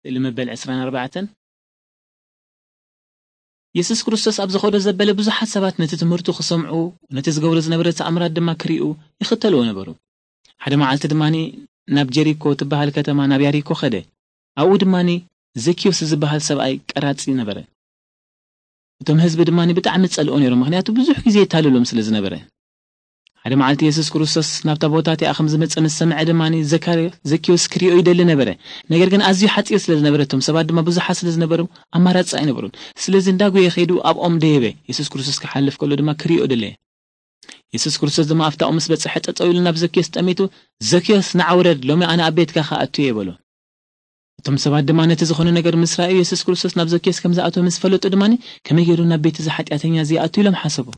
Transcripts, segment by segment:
ስእሊ መበል ዕስራን ኣርባዕተን። የሱስ ክርስቶስ ኣብ ዝኸዶ ዘበለ ብዙሓት ሰባት ነቲ ትምህርቱ ክሰምዑ፣ ነቲ ዝገብሮ ዝነበረ ተኣምራት ድማ ክርእዩ ይኽተልዎ ነበሩ። ሓደ መዓልቲ ድማ ናብ ጀሪኮ ትበሃል ከተማ፣ ናብ ያሪኮ ኸደ። ኣብኡ ድማ ዘኪዮስ ዝበሃል ሰብኣይ ቀራጺ ነበረ። እቶም ህዝቢ ድማ ብጣዕሚ ጸልኦ ነይሮም፣ ምኽንያቱ ብዙሕ ግዜ የታልሎም ስለ ዝነበረ። ሓደ መዓልቲ የሱስ ክርስቶስ ናብታ ቦታ እቲኣ ከም ዝመጸ ምስ ሰምዐ ድማ ዘካርዮ-፣ ዘኪዮስ ክርእዮ ይደሊ ነበረ። ነገር ግን ኣዝዩ ሓጺር ስለ ዝነበረ፣ እቶም ሰባት ድማ ብዙሓት ስለ ዝነበሮም ኣማራጺ ኣይነበሩን። ስለዚ እንዳጎየ ከይዱ ኣብኦም ደየበ። የሱስ ክርስቶስ ክሓልፍ ከሎ ድማ ክርእዮ ደለየ። የሱስ ክርስቶስ ድማ ኣብታ ምስ በጽሐ ጠጠው ኢሉ ናብ ዘኪዮስ ጠሚቱ፣ "ዘኪዮስ ንዓ ውረድ፣ ሎሚ ኣነ ኣብ ቤትካ ክኣቱ እየ" በሎ። እቶም ሰባት ድማ ነቲ ዝኾነ ነገር ምስ ረኣዩ፣ የሱስ ክርስቶስ ናብ ዘኪዮስ ከም ዝኣተወ ምስ ፈለጡ ድማ፣ "ከመይ ገይሩ ናብ ቤት እዚ ሓጢኣተኛ እዚ ይኣቱ?" ኢሎም ሓሰቡ።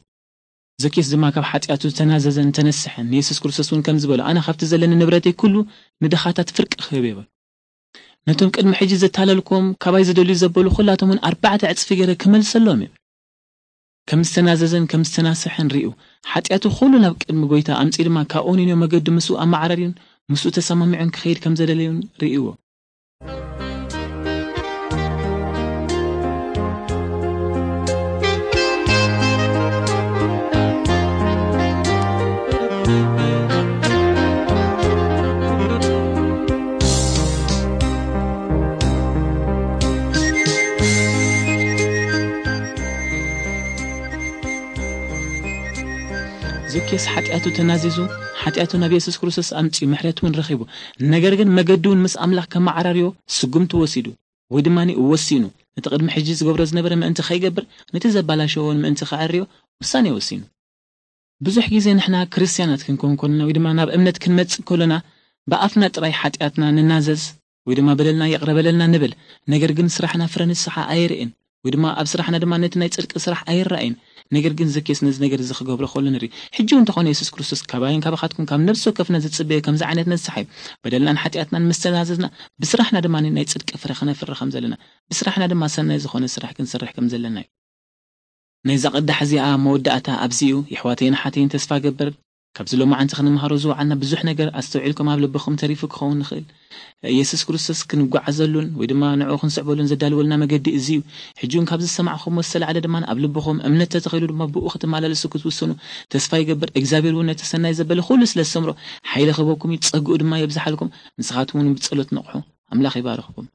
ዘኪዮስ ድማ ካብ ሓጢኣቱ ዝተናዘዘን ዝተነስሐን፣ ንየሱስ ክርስቶስ እውን ከም ዝበሎ፣ "ኣነ ካብቲ ዘለኒ ንብረተይ ኩሉ ንድኻታት ፍርቂ ክህብ እየ" በሎ። ነቶም ቅድሚ ሕጂ ዘታለልኩም፣ ካባይ ዝደልዩ ዘበሉ ኩላቶም እውን ኣርባዕተ ዕጽፊ ገይረ ክመልሰሎም እየ። ከም ዝተናዘዘን ከም ዝተናስሐን ርእዩ፣ ሓጢኣቱ ኩሉ ናብ ቅድሚ ጎይታ ኣምጺኡ ድማ ካብኡ ንንዮ መገዱ ምስኡ ኣመዓራርዩን ምስኡ ተሰማሚዑን ክኸይድ ከም ዘደለዩን ርእይዎ። ዘኬስ ሓጢኣቱ ተናዚዙ፣ ሓጢኣቱ ናብ የሱስ ክርስቶስ ኣምጺኡ፣ ምሕረት እውን ረኺቡ። ነገር ግን መገዱ እውን ምስ ኣምላኽ ከመዓራርዮ ስጉምቲ ወሲዱ፣ ወይ ድማ ወሲኑ፣ ነቲ ቅድሚ ሕጂ ዝገብሮ ዝነበረ ምእንቲ ከይገብር፣ ነቲ ዘባላሸዎ እውን ምእንቲ ከዐርዮ ውሳኔ ወሲኑ። ብዙሕ ግዜ ንሕና ክርስትያናት ክንኮን ከለና ወይ ድማ ናብ እምነት ክንመጽእ ከለና፣ ብኣፍና ጥራይ ሓጢኣትና ንናዘዝ ወይ ድማ በደልና ይቕረ በለልና ንብል። ነገር ግን ስራሕና ፍረ ንስሓ ኣየርእን፣ ወይ ድማ ኣብ ስራሕና ድማ ነቲ ናይ ጽድቂ ስራሕ ኣይረኣይን። ነገር ግን ዘኬስ ነዚ ነገር እዚ ክገብሮ ከሎ ንርኢ። ሕጂ እውን እንተኾነ የሱስ ክርስቶስ ካባይን ካባኻትኩም ካብ ነፍሲ ወከፍና ዝጽበዮ ከምዚ ዓይነት ንስሓ እዩ። በደልናን ሓጢኣትናን ምስ ተናዘዝና፣ ብስራሕና ድማ ናይ ጽድቂ ፍረ ክነፍሪ ከም ዘለና፣ ብስራሕና ድማ ሰናይ ዝኾነ ስራሕ ክንሰርሕ ከም ዘለና እዩ። ናይዛ ቅዳሕ እዚኣ መወዳእታ ኣብዚ እዩ። የሕዋተይን ኣሓተይን፣ ተስፋ ገብር ካብዚ ሎማዓንቲ ክንምሃሮ ዝወዓልና ብዙሕ ነገር ኣስተውዒልኩም ኣብ ልብኹም ተሪፉ ክኸውን ንኽእል። የሱስ ክርስቶስ ክንጓዓዘሉን ወይ ድማ ንዕኡ ክንስዕበሉን ዘዳልወልና መገዲ እዚ እዩ። ሕጂ እውን ካብዚ ዝሰማዕኹምዎ ዝተላዕለ ድማ ኣብ ልብኹም እምነት ተተኺሉ ድማ ብኡ ክትመላለሱ ክትውስኑ ተስፋ ይገብር። እግዚኣብሔር እውን ነቲ ሰናይ ዘበለ ኩሉ ስለ ዝሰምሮ ሓይሊ ክህበኩም እዩ፣ ጸግኡ ድማ የብዝሓልኩም። ንስኻትኩም እውን ብጸሎት ንቕሑ። ኣምላኽ ይባርኽኩም።